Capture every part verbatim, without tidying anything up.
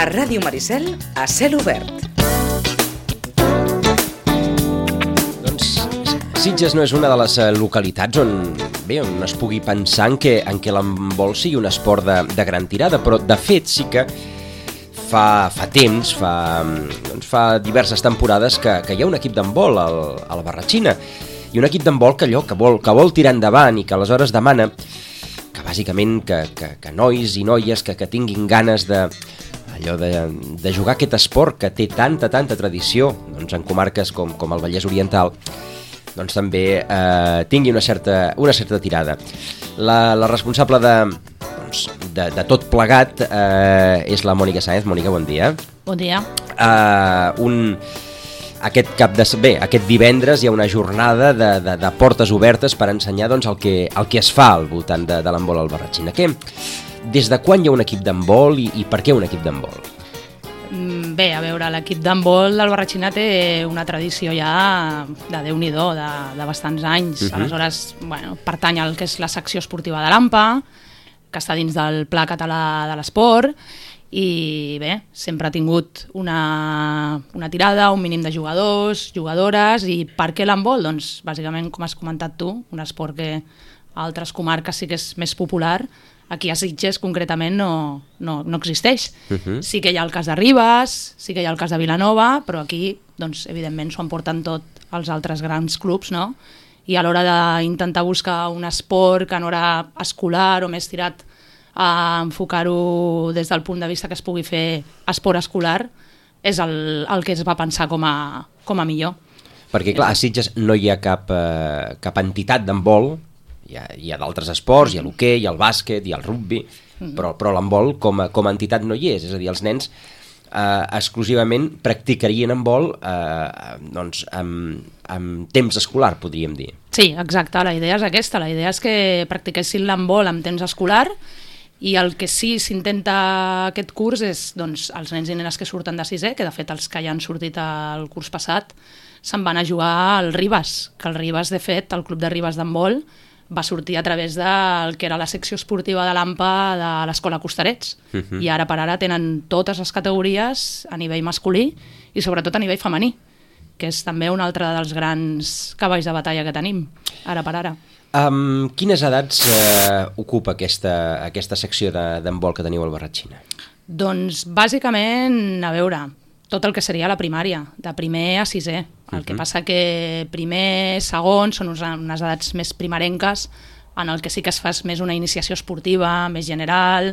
A Ràdio Maricel, a cel obert. Doncs Sitges no és una de les localitats on, bé, on es pugui pensar en què, en què l'handbol sigui un esport de, de gran tirada, però de fet sí que fa, fa temps, fa, doncs fa diverses temporades que, que hi ha un equip d'handbol al, a la Barratxina, i un equip d'handbol que allò que vol, que vol tirar endavant i que aleshores demana que bàsicament que, que, que nois i noies que, que tinguin ganes de, allò de, de jugar aquest esport que té tanta, tanta tradició, doncs en comarques com, com el Vallès Oriental, doncs també eh, tingui una certa, una certa tirada. La, la responsable de, doncs, de, de tot plegat eh, és la Mònica Sáenz. Mònica, bon dia. Bon dia. Eh, un... Aquest cap de... Bé, aquest divendres hi ha una jornada de, de, de portes obertes per ensenyar doncs, el, que, el que es fa al voltant de, de l'handbol al Barratxina. Què? Des de quan hi ha un equip d'handbol i, i per què un equip d'handbol? Bé, a veure, l'equip d'handbol del Barratxina té una tradició ja de Déu-n'hi-do, de, de bastants anys. Uh-huh. Aleshores, bueno, pertany al que és la secció esportiva de l'A M P A, que està dins del Pla Català de l'Esport, i bé, sempre ha tingut una, una tirada, un mínim de jugadors, jugadores, i per què l'handbol? Doncs bàsicament, com has comentat tu, un esport que a altres comarques sí que és més popular, aquí a Sitges concretament no, no, no existeix. Uh-huh. Sí que hi ha el cas de Ribes, sí que hi ha el cas de Vilanova, però aquí, doncs, evidentment, s'ho emporten tot els altres grans clubs, no? I a l'hora d'intentar buscar un esport que no era escolar o més tirat a enfocar-ho des del punt de vista que es pugui fer esport escolar, és el, el que es va pensar com a, com a millor. Perquè, clar, a Sitges no hi ha cap, eh, cap entitat d'handbol, hi ha, hi ha d'altres esports, hi ha l'hoquei, hi ha el bàsquet, hi ha el rugbi, mm. però, però l'handbol com a, com a entitat no hi és, és a dir, els nens eh, exclusivament practicarien handbol eh, doncs, amb, amb temps escolar, podríem dir. Sí, exacte, la idea és aquesta, la idea és que practiquessin l'handbol amb temps escolar. I el que sí s'intenta aquest curs és doncs, els nens i nenes que surten de sisè, que de fet els que ja han sortit el curs passat se'n van a jugar al Ribes, que el Ribes, de fet, el club de Ribes d'handbol va sortir a través del que era la secció esportiva de l'A M P A de l'Escola Costarets. Uh-huh. I ara per ara tenen totes les categories a nivell masculí i sobretot a nivell femení, que és també un altre dels grans cavalls de batalla que tenim, ara per ara. Um, quines edats eh, ocupa aquesta, aquesta secció d'handbol que teniu al Barratxina? Doncs bàsicament, a veure, tot el que seria la primària, de primer a sisè. El uh-huh. que passa que primer, segon, són unes edats més primerenques, en el que sí que es fa més una iniciació esportiva, més general,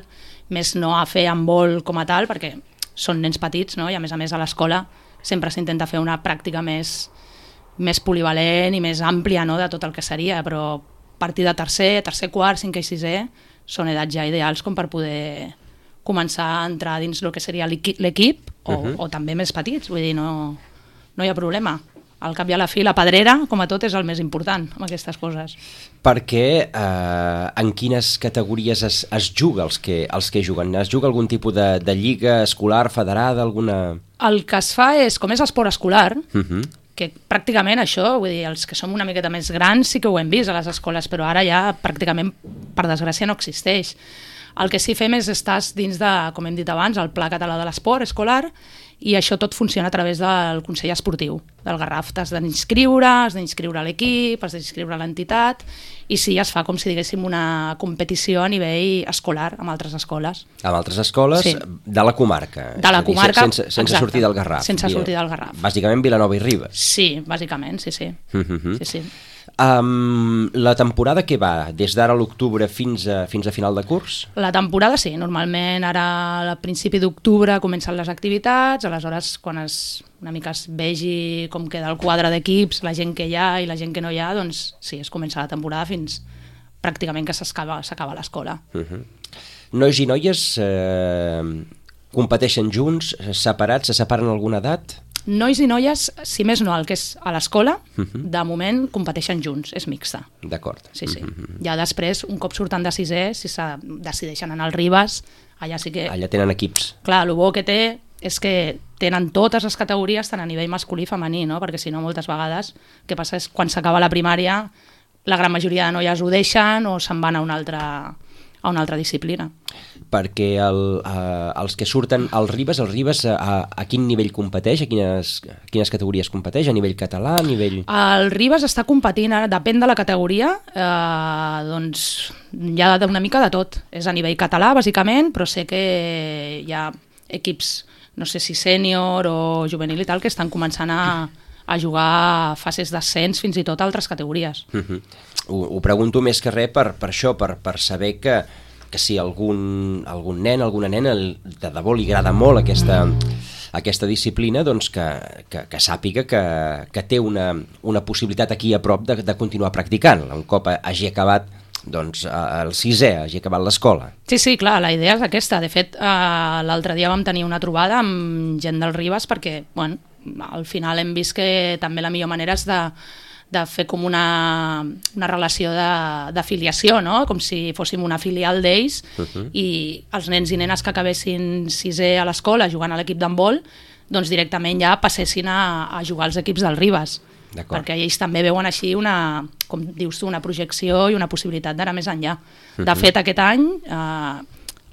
més no a fer handbol com a tal, perquè són nens petits, no? I a més a més a l'escola sempre s'intenta fer una pràctica més... més polivalent i més àmplia, no?, de tot el que seria, però a partir de tercer, tercer, quart, cinquè i sisè són edats ja ideals com per poder començar a entrar dins el que seria l'equip o, uh-huh. o també més petits, vull dir, no, no hi ha problema. Al cap i a la fi, la pedrera, com a tot, és el més important amb aquestes coses. Perquè eh, en quines categories es, es juga els que, els que juguen? Es juga algun tipus de, de lliga escolar, federada, alguna...? El que es fa és, com és esport escolar, uh-huh. que pràcticament això, vull dir, els que som una miqueta més grans sí que ho hem vist a les escoles, però ara ja pràcticament, per desgràcia, no existeix. El que sí fem és estar dins de, com hem dit abans, el Pla Català de l'Esport escolar, i això tot funciona a través del Consell Esportiu del Garraf. T'has d'inscriure, has d'inscriure l'equip, has d'inscriure l'entitat, i sí, es fa com si diguéssim una competició a nivell escolar amb altres escoles. Amb altres escoles sí. De la comarca. De la comarca, dir, sense, sense sortir del Garraf. Sense sortir del Garraf. Bàsicament Vilanova i Ribes. Sí, bàsicament, sí, sí. Uh-huh. sí, sí. Um, la temporada què va? Des d'ara a l'octubre fins a, fins a final de curs? La temporada sí, normalment ara a principi d'octubre comencen les activitats, aleshores quan es, una mica es vegi com queda el quadre d'equips, la gent que hi ha i la gent que no hi ha, doncs sí, es comença la temporada fins pràcticament que s'acaba l'escola. Uh-huh. Nois i noies eh, competeixen junts, separats, se separen en alguna edat? Nois i noies, si més no, el que és a l'escola, uh-huh. de moment competeixen junts, és mixta. D'acord. Sí, sí. Uh-huh. Ja després, un cop surten de sisè, si se decideixen anar al Ribes, allà sí que... Allà tenen equips. Clar, el bo que té és que tenen totes les categories, tant a nivell masculí i femení, no? Perquè si no, moltes vegades, el que passa és quan s'acaba la primària, la gran majoria de noies ho deixen o se'n van a una altra, a una altra disciplina. perquè el, uh, els que surten al Ribes, el Ribes a, a quin nivell competeix, a quines, a quines categories competeix, a nivell català, a nivell... El Ribes està competint, ara depèn de la categoria, eh, doncs hi ha una mica de tot. És a nivell català, bàsicament, però sé que hi ha equips, no sé si sènior o juvenil i tal, que estan començant a, a jugar a fases d'ascens, fins i tot a altres categories. Uh-huh. Ho, ho pregunto més que res per, per això, per, per saber que, que si algun, algun nen, alguna nena de debò li agrada molt aquesta, aquesta disciplina, doncs que, que, que sàpiga que, que té una, una possibilitat aquí a prop de, de continuar practicant, un cop hagi acabat doncs, el sisè, hagi acabat l'escola. Sí, sí, clar, la idea és aquesta. De fet, eh, l'altre dia vam tenir una trobada amb gent del Ribes perquè, bueno, al final hem vist que també la millor manera és de de fer com una, una relació d'afiliació, no? Com si fóssim una filial d'ells, uh-huh. i els nens i nenes que acabessin sisè a l'escola jugant a l'equip d'handbol, doncs directament ja passessin a, a jugar als equips del Ribes. Perquè ells també veuen així una, com dius tu, una projecció i una possibilitat d'anar més enllà. Uh-huh. De fet, aquest any eh,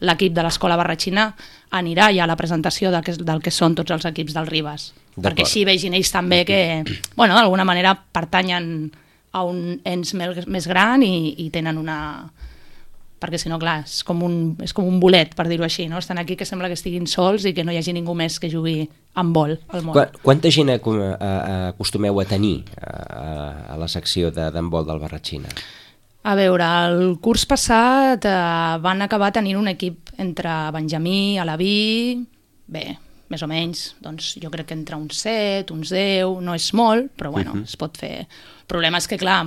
l'equip de l'escola barratxina anirà ja a la presentació de que, del que són tots els equips del Ribes. Perquè així vegin ells també que, bueno, d'alguna manera pertanyen a un ens més gran i, i tenen una... Perquè si no, clar, és com un, és com un bolet, per dir-ho així, no? Estan aquí que sembla que estiguin sols i que no hi hagi ningú més que jugui amb vol al món. Qu Quanta gent acostumeu a tenir a, a la secció d'handbol del Barratxina? A veure, el curs passat eh, van acabar tenint un equip entre Benjamí, Alaví, bé, més o menys, doncs jo crec que entre uns set, uns deu, no és molt, però bueno, uh-huh. es pot fer. El problema és que, clar,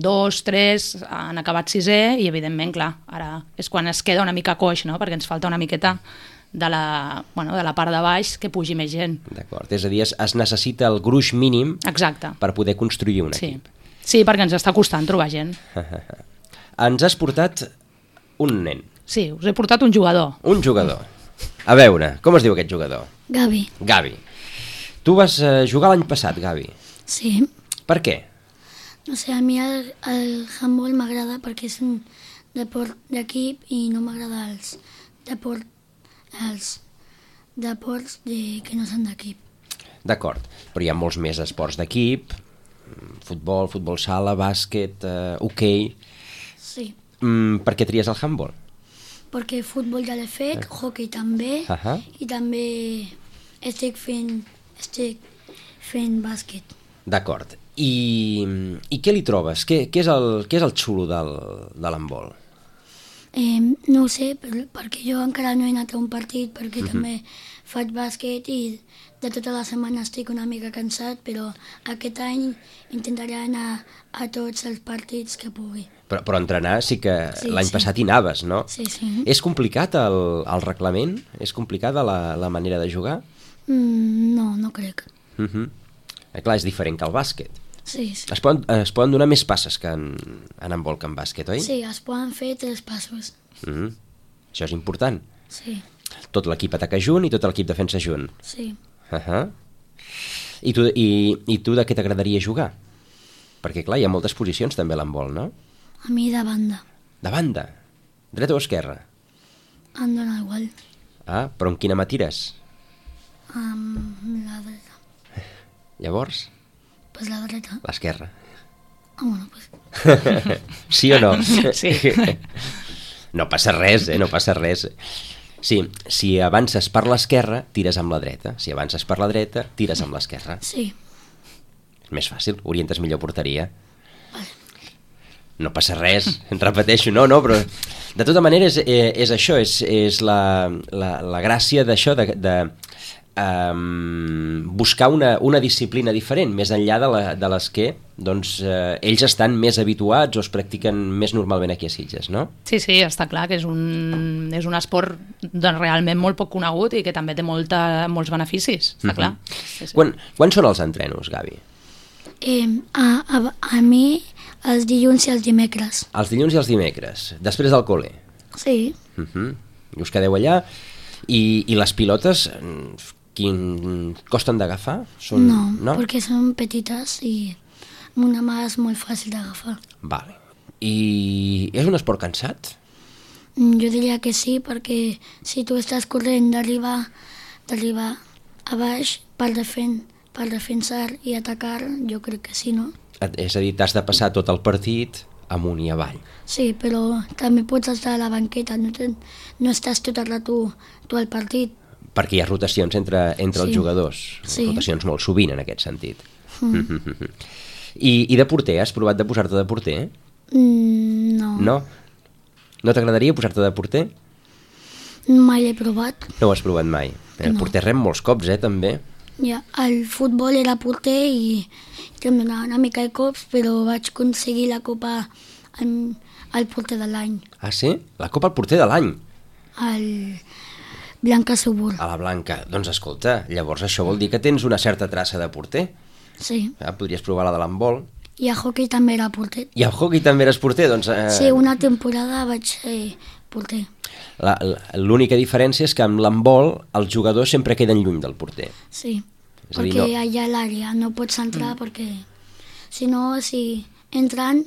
dos, tres han acabat sisè i, evidentment, clar, ara és quan es queda una mica coix, no?, perquè ens falta una miqueta de la, bueno, de la part de baix que pugi més gent. D'acord, és a dir, es, es necessita el gruix mínim Exacte. Per poder construir un sí. equip. Sí, perquè ens està costant trobar gent. Ens has portat un nen. Sí, us he portat un jugador. Un jugador. A veure, com es diu aquest jugador? Gavi. Gavi. Tu vas uh, jugar l'any passat, Gavi. Sí. Per què? No sé, a mi el, el handball m'agrada perquè és un deport d'equip i no m'agrada els, deport, els deports de, que no són d'equip. D'acord, però hi ha molts més esports d'equip, futbol, futbol sala, bàsquet, uh, hoquei... Sí. Mm, per què tries el handball? Perquè futbol ja l'he fet, eh. hoquei també, uh -huh. i també estic fent, estic fent bàsquet. D'acord. I, I què li trobes? Què, què, és, el, què és el xulo del, de l'handbol? Eh, no ho sé, per, perquè jo encara no he anat a un partit, perquè uh -huh. també faig bàsquet i de tota la setmana estic una mica cansat, però aquest any intentaré anar a tots els partits que pugui. Però, però entrenar sí que sí, l'any sí. passat hi anaves, no? Sí, sí. És complicat el, el reglament? És complicada la, la manera de jugar? Mm, no, no crec. Uh -huh. eh, clar, és diferent que el bàsquet. Sí, sí. Es poden, es poden donar més passes que en, en handbol que en bàsquet, oi? Sí, es poden fer tres passos. Uh -huh. Això és important. Sí. Tot l'equip ataca junt i tot l'equip defensa junt. Sí. Uh -huh. I, tu, i, I tu de què t'agradaria jugar? Perquè, clar, hi ha moltes posicions també a l'handbol, no? A mi de banda. De banda? Dreta o esquerra? Em dóna igual. Ah, però en quina mà tires? Amb la dreta. Llavors? Pues la dreta. L'esquerra. Ah, bueno, pues... Sí o no? Sí. No passa res, eh? No passa res. Sí, si avances per l'esquerra, tires amb la dreta. Si avances per la dreta, tires amb l'esquerra. Sí. És més fàcil, orientes millor porteria. No passa res, en repeteixo, no, no, però de tota manera és, és això, és, és la, la, la gràcia d'això, de, de um, buscar una, una disciplina diferent, més enllà de, la, de les que doncs, eh, ells estan més habituats o es practiquen més normalment aquí a Sitges, no? Sí, sí, està clar que és un, és un esport doncs, realment molt poc conegut i que també té molta, molts beneficis, està uh-huh. clar. Sí, sí. Quan, quan són els entrenos, Gavi? Eh, a, a, a mi els dilluns i els dimecres. Els dilluns i els dimecres, després del col·le? Sí. Uh-huh. I us quedeu allà i, i les pilotes quin, costen d'agafar? Són... No, no, perquè són petites i amb una mà és molt fàcil d'agafar. Vale. I és un esport cansat? Mm, Jo diria que sí, perquè si tu estàs corrent d'arribar d'arribar a baix per, defen per defensar i atacar, jo crec que sí, no? Et- És a dir, t'has de passar tot el partit amunt i avall. Sí, però també pots estar a la banqueta, no, ten, no estàs tot el rato tu al partit. Perquè hi ha rotacions entre, entre els Sí. jugadors. Sí. Rotacions molt sovint, en aquest sentit. Mm. I, I de porter, has provat de posar-te de porter? Mm, no, No? No t'agradaria posar-te de porter? mai l'he provat. No ho has provat mai. El No. porter rem molts cops, eh, també. Ja, el futbol era porter i em donava una mica de cops, però vaig aconseguir la copa en, al porter de l'any, Ah, sí? La Copa al porter de l'any. al Blanca Subur. A la Blanca. Doncs escolta, llavors això vol dir que tens una certa traça de porter. Sí, Ah, podries provar la de l'handbol. i a hockey també era porter. I al hockey també eres porter, doncs... Eh, Sí, una temporada vaig ser porter. la- la- L'única diferència és que amb l'handbol els jugadors sempre queden lluny del porter. Sí, És a dir, perquè no- allà a l'àrea no pots entrar perquè si no, si entren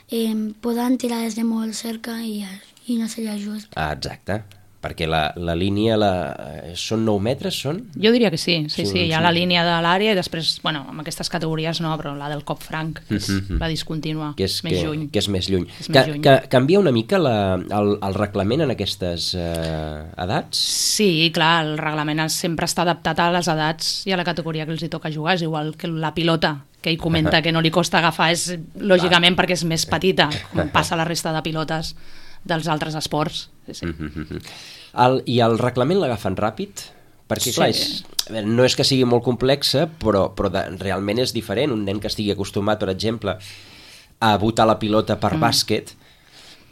eh, poden tirar des de molt cerca i, i no seria just. Ah, exacte. Perquè la, la línia la, eh, són nou metres, són? Jo diria que sí, sí, Sí, sí, hi ha sí. la línia de l'àrea i després, bueno, amb aquestes categories no, però la del cop franc, que és Mhm. la discontínua, Que és, més que, lluny. que és més lluny. És Que, més lluny. que canvia una mica la, el, el reglament en aquestes eh, edats? Sí, clar, el reglament sempre està adaptat a les edats i a la categoria que els hi toca jugar, és igual que la pilota, que ell comenta que no li costa agafar, és lògicament perquè és més petita, com passa a la resta de pilotes dels altres esports. Sí, sí. Mhm. El, I el reglament l'agafen ràpid? Perquè, clar, és, a veure, no és que sigui molt complexa, però, però de, realment és diferent. Un nen que estigui acostumat, per exemple, a botar la pilota per mm. bàsquet,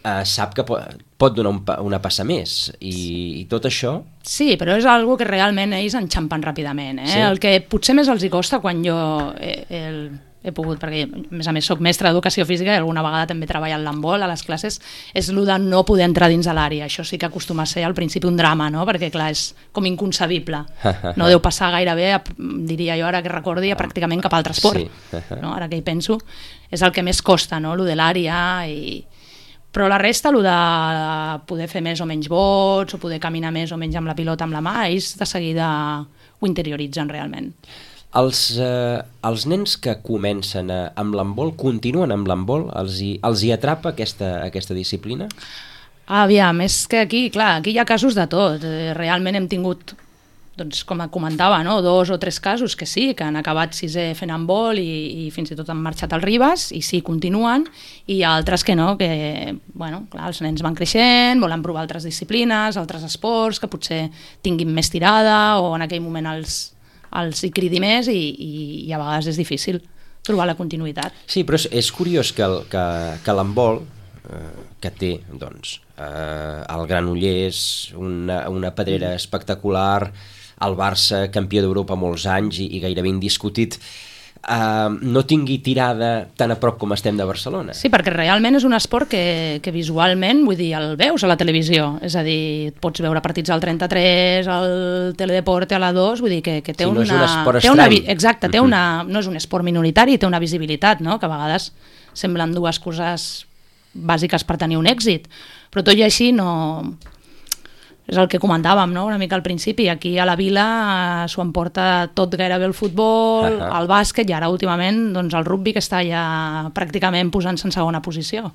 eh, sap que pot, pot donar un, pa- una passa més. I, I tot això... Sí, però és algo que realment ells enxampen ràpidament. Eh? Sí. El que potser més els hi costa quan jo he, he, he pogut, perquè a més a més soc mestre d'educació física i alguna vegada també he treballat l'handbol a les classes, és el de no poder entrar dins de l'àrea. Això sí que acostuma a ser al principi un drama, no? Perquè clar, és com inconcebible. No deu passar gairebé, a, diria jo ara que recordi, a pràcticament cap altre esport. Sí. No? Ara que hi penso, és el que més costa, no? Lo de l'àrea i... Però la resta, el de poder fer més o menys vots, o poder caminar més o menys amb la pilota amb la mà, ells de seguida ho interioritzen realment. Els, eh, els nens que comencen a, amb l'handbol, continuen amb l'handbol? Els, hi, els hi atrapa aquesta, aquesta disciplina? Aviam, és que aquí, clar, aquí hi ha casos de tot. Eh, Realment hem tingut, doncs, com comentava, no? dos o tres casos que sí, que han acabat sisè fent handbol i, i fins i tot han marxat al Ribes, i sí, continuen, i hi ha altres que no, que, bueno, clar, els nens van creixent, volen provar altres disciplines, altres esports, que potser tinguin més tirada, o en aquell moment els, els hi cridi més, i, i, i a vegades és difícil trobar la continuïtat. Sí, però és, és curiós que, el, que, que l'handbol, eh, que té, doncs, eh, el Granollers, una, una pedrera espectacular, el Barça, campió d'Europa molts anys i, i gairebé indiscutit, eh, no tingui tirada tan a prop com estem de Barcelona. Sí, perquè realment és un esport que, que visualment, vull dir, el veus a la televisió, és a dir, pots veure partits al trenta-tres, al Teledeporte, a la dos, vull dir que, que té Sí, una... no és un esport té una estrany. Exacte, té Mhm. una, no és un esport minoritari, té una visibilitat, no? Que a vegades semblen dues coses bàsiques per tenir un èxit, però tot i així no... És el que comentàvem, no? Una mica al principi. Aquí a la vila eh, s'ho emporta tot gairebé el futbol, Ahà. el bàsquet i ara últimament doncs, el rugby, que està ja pràcticament posant-se en segona posició.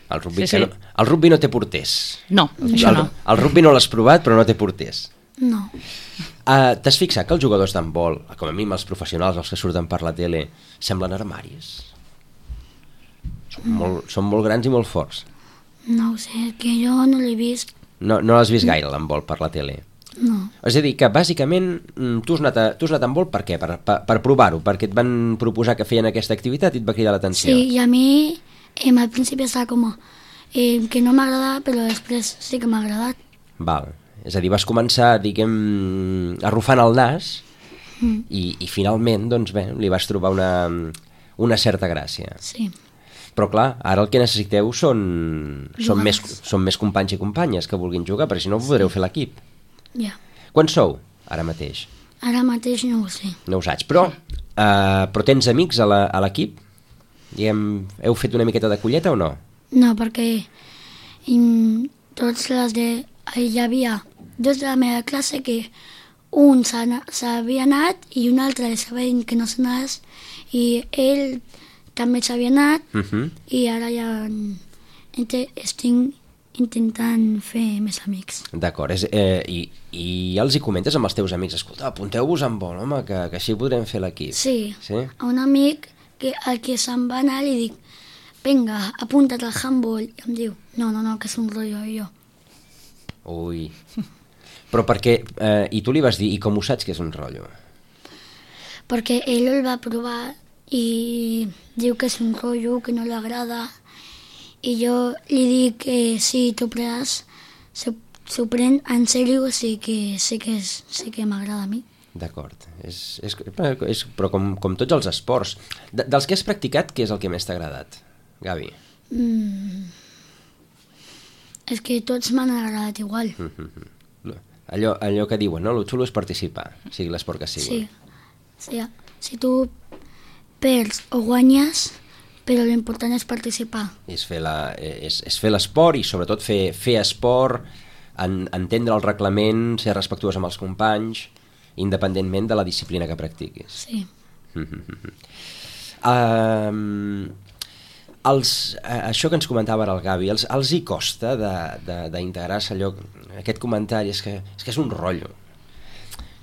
El rugby, Sí, que sí. no, el rugby no té porters. No, això el, no. el rugby no l'has provat, però no té porters. No, Uh, T'has fixat que els jugadors d'handbol, com a mínim els professionals, els que surten per la tele, semblen armaris? Són molt, són molt grans i molt forts. no ho sé, que jo no l'he vist, No, no l'has vist gaire, l'handbol, per la tele. no. És a dir, que bàsicament mm, tu has anat a, tu has anat a handbol per què? Per, per, per provar-ho, perquè et van proposar que feien aquesta activitat i et va cridar l'atenció. Sí, i a mi eh, al principi estava com eh, que no m'agradava, però després sí que m'ha agradat. Val. És a dir, vas començar, diguem, arrufant el nas Mm, i, i finalment, doncs bé, li vas trobar una, una certa gràcia. sí, Però clar, ara el que necessiteu són, són, més, Jugadors. són més companys i companyes que vulguin jugar, perquè si no podreu fer l'equip. ja. Quants sou, ara mateix? Ara mateix no ho sé. No ho saps, però, uh, però tens amics a la- a l'equip? Diguem, heu fet una miqueta de colleta o no? No, perquè mm, tots les de... Hi havia dos de la meva classe que un s'havia anat i un altre li estava dient que no s'anés i ell també s'havia anat uh -huh. i ara ja estic intentant fer més amics. D'acord, eh, i, i ja els hi comentes amb els teus amics, escolta, apunteu-vos en vol, home, que, que així podrem fer l'equip. Sí, sí, a un amic que, al que se'n va anar li dic, vinga, apunta't al handball, i em diu, no, no, no, que és un rotllo, i jo. Ui, però perquè, eh, i tu li vas dir, i com ho saps que és un rotllo? Perquè ell el va provar i diu que és un rotllo, que no li agrada, i jo li dic que si tu prens, s'ho pren en sèrio, sí que, sí que, és, sí que m'agrada a mi. D'acord, és, és, és, però com, com tots els esports. De, dels que has practicat, què és el que més t'ha agradat, Gavi? Mm. És que tots m'han agradat igual. Mm-hmm. Allò, allò que diuen, no? El xulo és participar, sigui l'esport que sigui. Sí, sí, si tu perds o guanyes, però l'important és participar. És fer la, és, és fer l'esport i sobretot fer, fer esport, en, entendre el reglament, ser respectuós amb els companys, independentment de la disciplina que practiquis. Sí. um, els, uh, això que ens comentava ara el Gavi, els, els hi costa d'integrar-se allò, aquest comentari, és que, és que és un rotllo.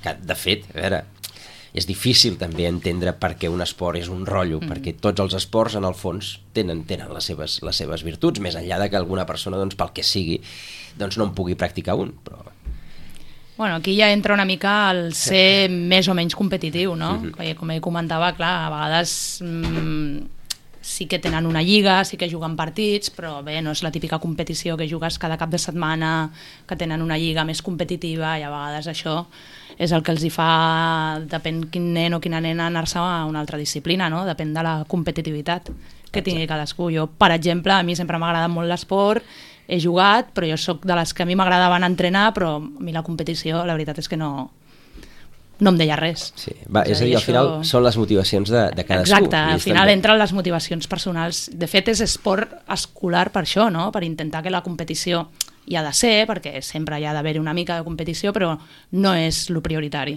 Que, de fet, a veure, és difícil també entendre per què un esport és un rotllo, mm. perquè tots els esports, en el fons, tenen, tenen les, seves, les seves virtuts, més enllà de que alguna persona, doncs, pel que sigui, doncs no en pugui practicar un. Però... Bueno, aquí ja entra una mica el ser més o menys competitiu, no? Mm-hmm. Com ell comentava, clar, a vegades mmm, sí que tenen una lliga, sí que juguen partits, però bé, no és la típica competició que jugues cada cap de setmana, que tenen una lliga més competitiva, i a vegades això és el que els hi fa, depèn quin nen o quina nena, anar-se a una altra disciplina, no? Depèn de la competitivitat que tingui cadascú. Jo, per exemple, a mi sempre m'ha agradat molt l'esport, he jugat, però jo sóc de les que a mi m'agradava anar a entrenar, però a mi la competició, la veritat és que no, no em deia res. Sí. Va, és a dir, al final això... són les motivacions de, de cadascú. Exacte, al final també entren les motivacions personals. De fet, és esport escolar per això, no? Per intentar que la competició hi ha de ser, perquè sempre hi ha d'haver una mica de competició, però no és lo prioritari,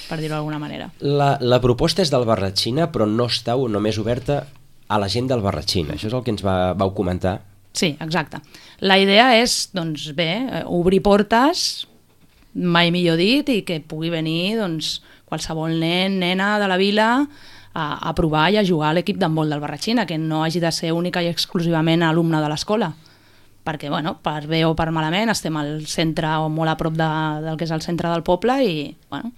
per dir-ho d'alguna manera. La, la proposta és del Barratxina, però no estàu només oberta a la gent del Barratxina. Això és el que ens va, vau comentar. Sí, exacte. La idea és, doncs bé, obrir portes, mai millor dit, i que pugui venir doncs, qualsevol nen, nena de la vila a, a provar i a jugar a l'equip d'handbol del Barratxina, que no hagi de ser única i exclusivament alumne de l'escola. Perquè, bueno, per bé o per malament, estem al centre o molt a prop de, del que és el centre del poble i, bueno,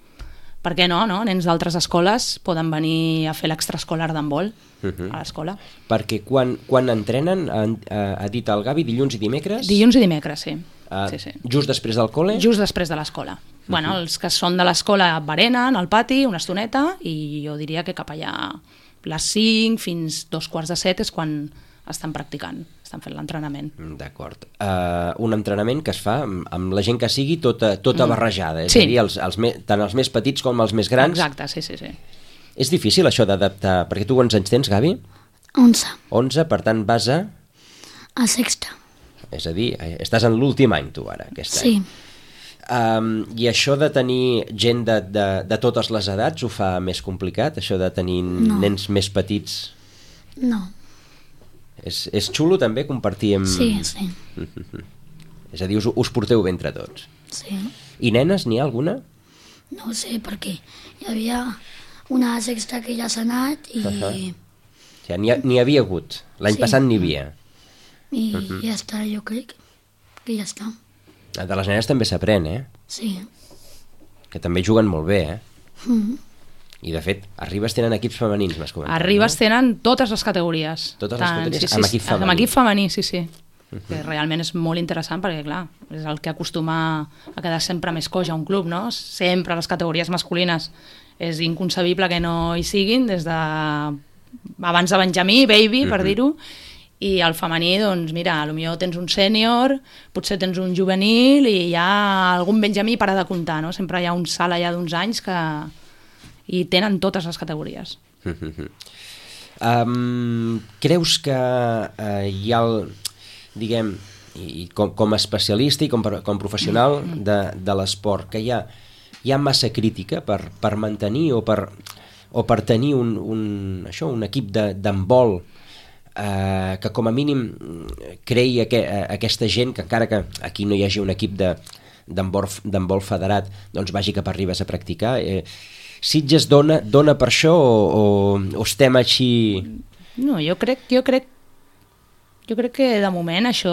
per què no, no? Nens d'altres escoles poden venir a fer l'extraescolar d'handbol uh-huh. a l'escola. Perquè quan, quan entrenen, ha, ha dit el Gavi, dilluns i dimecres? Dilluns i dimecres, sí. Uh, sí, sí. Just després del col·le? Just després de l'escola. Uh-huh. Bueno, els que són de l'escola berenen al pati una estoneta i jo diria que cap allà les cinc fins dos quarts de set és quan estan practicant, estan fent l'entrenament. D'acord. Uh, un entrenament que es fa amb, amb la gent que sigui tota, tota mm. barrejada, és sí. a dir, els, els me, tant els més petits com els més grans. Exacte, sí, sí, sí. És difícil això d'adaptar, perquè tu quants anys tens, Gavi? Onze. Onze, per tant vas a... A sexta. És a dir, estàs en l'últim any tu ara, aquest sí. any. Um, I això de tenir gent de, de, de totes les edats ho fa més complicat, això de tenir no. nens més petits? No. És, és xulo també compartir amb... Sí, sí. És a dir, us, us porteu bé entre tots. Sí. I nenes, n'hi ha alguna? No ho sé, perquè hi havia una sexta que ja s'ha anat i... Uh-huh. O sigui, n'hi, ha, n'hi havia hagut. L'any sí. passat n'hi havia. I uh-huh. ja està, jo crec que ja està. De les nenes també s'aprèn, eh? Sí. Que també juguen molt bé, eh? Uh-huh. I, de fet, a Ribes tenen equips femenins, m'has comentat. A Ribes no? tenen totes les categories. Totes Tant, les categories? Sí, sí, amb equip femení? Amb equip femení, sí, sí. Uh-huh. Que realment és molt interessant perquè, clar, és el que acostuma a quedar sempre més coix a un club, no? Sempre les categories masculines és inconcebible que no hi siguin, des de abans de Benjamí, baby, per uh-huh. dir-ho, i al femení, doncs mira, potser tens un sènior, potser tens un juvenil i hi ha algun Benjamí para de comptar, no? Sempre hi ha un salt allà d'uns anys que... i tenen totes les categories. um, creus que uh, hi ha el, diguem, i com, com a especialista i com, com professional de, de l'esport, que hi ha, hi ha massa crítica per, per mantenir o per, o per tenir un, un, això, un equip d'handbol eh, que com a mínim creï aqu aquesta gent, que encara que aquí no hi hagi un equip de d'handbol federat, doncs vagi cap a Ribes a practicar. Eh, Sitges dona, dona per això o, o, o estem així? No, jo crec, jo crec jo crec que de moment això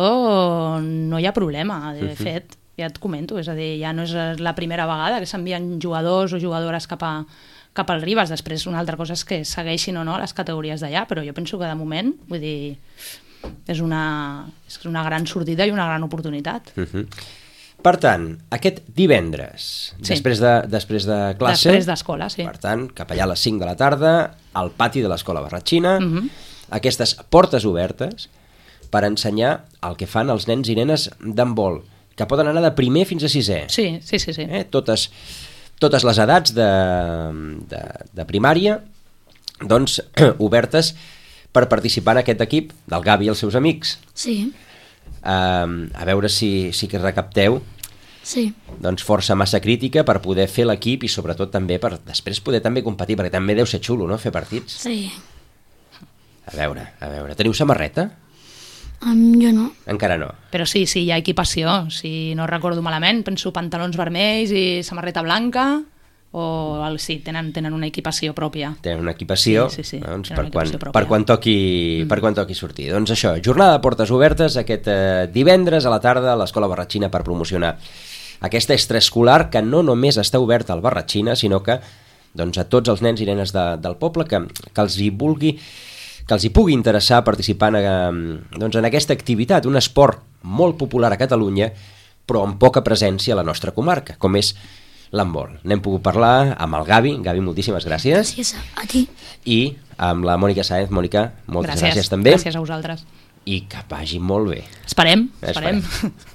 no hi ha problema, de Uh-huh. fet, ja et comento, és a dir, ja no és la primera vegada que s'envien jugadors o jugadores cap a cap al Ribes, després una altra cosa és que segueixin o no les categories d'allà, però jo penso que de moment, vull dir, és una, és una gran sortida i una gran oportunitat. Uh-huh. Per tant, aquest divendres, Sí. després, de, després de classe, Després d'escola, sí. per tant, cap allà a les cinc de la tarda, al pati de l'Escola Barratxina, Mhm. aquestes portes obertes per ensenyar el que fan els nens i nenes d'handbol, que poden anar de primer fins a sisè. Sí, sí, sí. sí. Eh? Totes, totes les edats de, de, de primària, doncs, obertes per participar en aquest equip del Gavi i els seus amics. Sí, Uh, a veure si, si que recapteu sí, doncs força massa crítica per poder fer l'equip i sobretot també per després poder també competir, perquè també deu ser xulo, no?, fer partits. sí. A veure, a veure, teniu samarreta? Um, jo no. Encara no. Però sí, sí, hi ha equipació, si no recordo malament, penso pantalons vermells i samarreta blanca, o el, sí, tenen, tenen una equipació pròpia. Tenen una equipació, Sí, sí, sí, doncs, tenen per, una quan, equipació pròpia. per, quan toqui, mm. per quan toqui sortir. Doncs això, jornada de portes obertes aquest eh, divendres a la tarda a l'Escola Barratxina per promocionar aquesta extraescolar que no només està oberta al Barratxina, sinó que doncs, a tots els nens i nenes de, del poble que, que els hi vulgui que els hi pugui interessar participar en, doncs, en aquesta activitat, un esport molt popular a Catalunya, però amb poca presència a la nostra comarca, com és l'handbol. N'hem pogut parlar amb el Gavi. Gavi, moltíssimes gràcies. Gràcies a, a ti. I amb la Mònica Sáenz. Mònica, moltes gràcies, gràcies gràcies també. Gràcies a vosaltres. I que vagi molt bé. Esperem, Esperem. esperem.